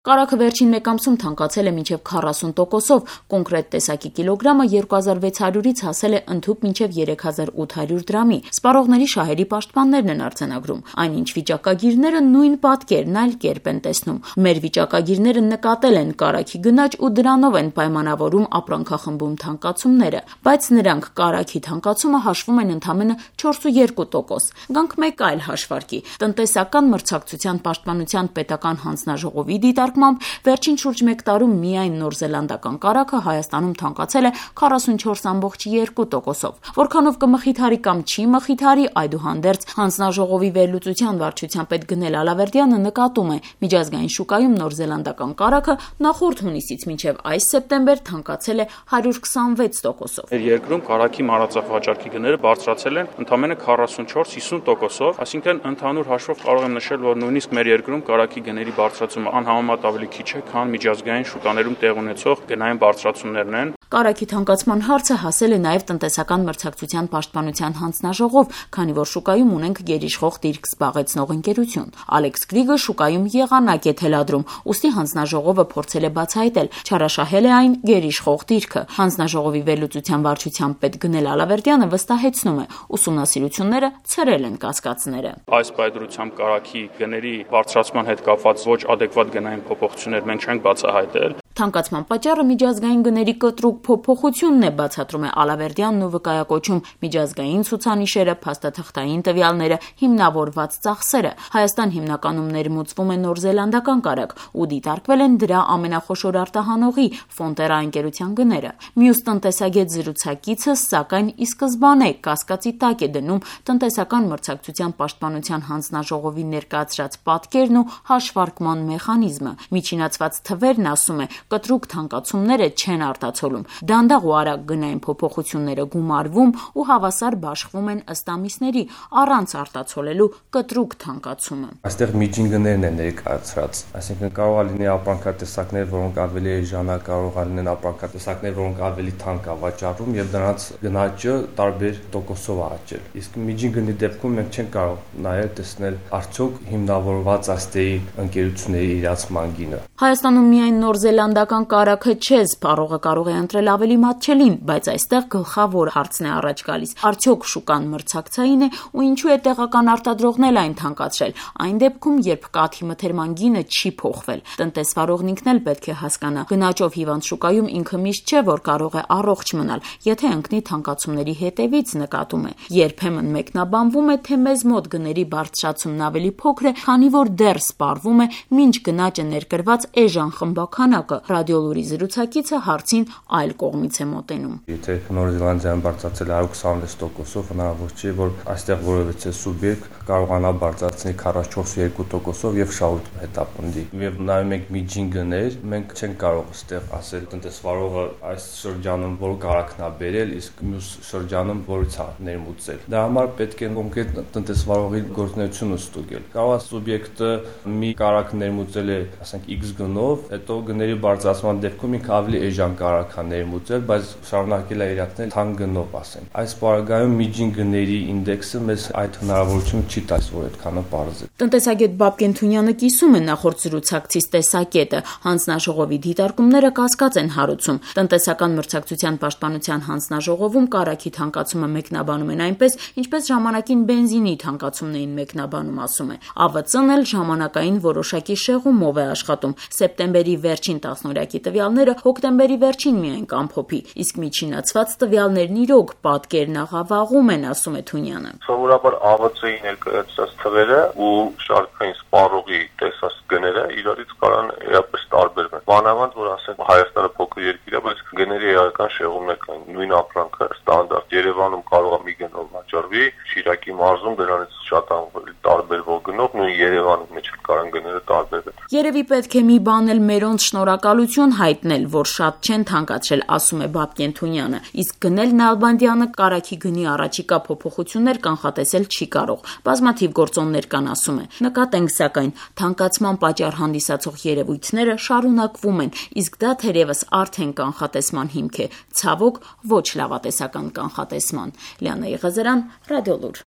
Կարագը վերջին մեկ ամսում թանկացել է մինչև 40%-ով, կոնկրետ տեսակի կիլոգրամը 2600-ից հասել է ընդհուպ մինչև 3800 դրամի։ Սպառողների շահերի պաշտպաններն են արձանագրում։ Այնինչ վիճակագիրները նույն պատկերն այլ կերպ են տեսնում։ Մեր վիճակագիրները նկատել են կարագի գնաճ ու դրանով են պայմանավորում ապրանքախմբում թանկացումները, բայց նրանք կարագի թանկացումը հաշվում են ընդամենը 4,2%։ Գանք մեկ այլ հաշվարկի։ Տնտեսական մրցակցության պաշտպանության պետական հանձնաժողովի դիտարկմամբ վերջին շուրջ մեկ տարում միայն նորզելանդական կարագը Հայաստանում թանկացել է 44,2%-ով։ Որքանով կմխիթարի կամ չի մխիթարի, այդուհանդերձ հանձնաժողովի վերլուծության վարչության պետ Գնել Ալավերդյանը նկատում է, միջազգային շուկայում նորզելանդական կարագը նախորդ հունիսից մինչև այս սեպտեմբեր թանկացել է 126%-ով։ Մեր երկրում կարագի մարածախ վաճառքի գները բարձրացել են ընդամենը 44-50%-ով, այսինքն ընդհանուր հաշվով կարող եմ նշել, որ նույնիսկ մեր երկրում կարագի գների բարձրացումը անհամեմատ ավելի քիչ է, քան միջազգային շուկաներում տեղ ունեցող գնային բարձրացումներն են։ Կարագի թանկացման հարցը հասել է նաև տնտեսական մրցակցության պաշտպանության հանձնաժողով, քանի որ շուկայում ունենք գերիշխող դիրք զբաղեցնող ընկերություն։ Ալեքս Գրիգը շուկայում եղանակ է թելադրում, ուստի հանձնաժողովը փորձել է բացահայտել, չարաշահել է այն գերիշխող դիրքը։ Հանձնաժողովի վերլուծության վարչության պետ Գնել Ալավերդյանը վստահեցնում է, ուսումնասիրությունները ցրել են կասկածները։ Այս պայծրությամբ կարագի գների բարձրացման հետ կապված ոչ adekvat գնային փոփոխություններ մենք չենք բացահայտել։ Թանկացման պատճառը միջազգային գների կտրուկ փոփոխությունն է, բացատրում է Ալավերդյանն ու վկայակոչում միջազգային ցուցանիշերը, փաստաթղթային տվյալները, հիմնավորված ծախսերը։ Հայաստան հիմնականում ներմուծվում է նորզելանդական կարագ ու դիտարկվել են դրա ամենախոշոր արտահանողի Ֆոնտերա ընկերության գները։ Մյուս տնտեսագետ զրուցակիցը, սակայն ի սկզբանե կասկածի տակ է դնում տնտեսական մրցակցության պաշտպանության հանձնաժողովի ներկայացրած պատկերն ու հաշվարկման մեխանիզմը։ Միջինացված թվերն, ասում է, կտրուկ թանկացումները չեն արտացոլում։ Դանդաղ ու արագ գնային փոփոխությունները գումարվում ու հավասար բաշխվում են ըստ ամիսների, առանց արտացոլելու կտրուկ թանկացումը։ Այստեղ միջին գներն են ներկայացրած, այսինքն կարող է լինել ապրանքատեսակներ, որոնք ավելի էժան, կարող է լինել ապրանքատեսակներ, որոնք ավելի թանկ է վաճառվում եւ դրանց գնաճը տարբեր տոկոսով է աճել։ Իսկ միջին գնի դեպքում մենք չենք կարող նայել տեսնել արդյոք հիմնավորված աստեի ընկերությունների իրացման գինը։ Հայաստանում միայն նորզելանդական կարագը չէ, սպառողը կարող է ընտրել ավելի մատչելին, բայց այստեղ գլխավոր հարցն է առաջ գալիս. արդյոք շուկան մրցակցային է ու ինչու է տեղական արտադրողն էլ այն թանկացրել, այն դեպքում, երբ կաթի մթերման գինը չի փոխվել։ Տնտեսվարողն ինքն էլ պետք է հասկանա, գնաճով հիվանդ շուկայում ինքը միշտ չէ, որ կարող է առողջ մնալ, եթե ընկնի թանկացումների հետևից, նկատում է։ Երբեմն մեկնաբանվում է, թե մեզ մոտ գների բարձրացումն ավելի փոքր է, քանի որ դեռ սպառվում է մինչ գնաճը ներկրված էժան խմբականակը։ Ռադիոլուրի զրուցակիցը հարցին այլ կողմից է մոտենում։ Եթե Նորզելանդիան բարձրացել է 126%-ով, հնարավոր չէ, որ այստեղ որևէ սուբյեկտ կարողանա բարձրացնել 44,2%-ով եւ շահույթ հետապնդի։ Եվ նայում ենք միջին գներ, մենք չենք կարող այստեղ ասել տնտեսվարողը այս շրջանում որ կարագն է բերել, իսկ մյուս շրջանում որից է ներմուծել։ Դրա համար պետք է կոնկրետ տնտեսվարողի գործունեությունը ստուգել։ Կարող է սուբյեկտը մի կարագ ներմուծել է, ասենք X գնով, հետո գների բարձրացման դեպքում ինքը ավելի էժան կարագ է ներմուծել, բայց շարունակել է իրացնել թանկ գնով, ասենք։ Այս պարագայում միջին գների ինդեքսը մեզ այդ հնարավորությունը չի տալիս, որ այդքանը պարզ է։ Տնտեսագետ Բաբկեն Թունյանը կիսում է նախորդ զրուցակցից տեսակետը։ Հանձնաժողովի դիտարկումները կասկած են հարուցում։ Տնտեսական մրցակցության պաշտպանության հանձնաժողովում կարագի թանկացումը մեկնաբանում են այնպես, ինչպես ժամանակին բենզինի թանկացումն էին մեկնաբանում, ասում է։ ԱՎԾ-ն էլ ժամանակային որոշակի շեղումով է աշխատում։ Սեպտեմբերի վերջին տասնօրյակի տվյալները հոկտեմբերի վերջին միայն կամփոփի, իսկ միջինացված տվյալներն իրոք պատկերն աղավաղում են, ասում է Թունյանը։ Սովորաբար ԱՎԾ-ի ներկայացրած թվերը ու շարքային սպառողի տեսած գները իրարից կարան իրապես տարբերվեն։ Մանավանդ որ ասենք Հայաստանը փոքր երկիր է, բայց գների էական շեղումներ կան։ Նույն ապրանքը ստանդարտ Երևանում կարող է մի գնով վաճառվի, Շիրակի մարզում դրանից շատ ավելի տարբերվող գնով նույն Երևանի մեջ կարան գները տարբերվեն։ Երևի պետք է մի բան էլ մերոնց շնորհակալություն հայտնել, որ շատ չեն թանկացրել, ասում է Բաբկեն Թունյանը, իսկ Գնել Նալբանդյանը կարագի գնի առաջիկա փոփոխություններ կանխատեսել չի կարող։ Բազմաթիվ գործոններ կան, ասում է։ Նկատենք սակայն, թանկացման պատճառ հանդիսացող երևույթները շարունակվում են, իսկ դա թերևս արդեն կանխատեսման հիմք է, ցավոք ոչ լավատեսական կանխատեսման։ Լիանա Եղազարյան, Ռադիոլուր։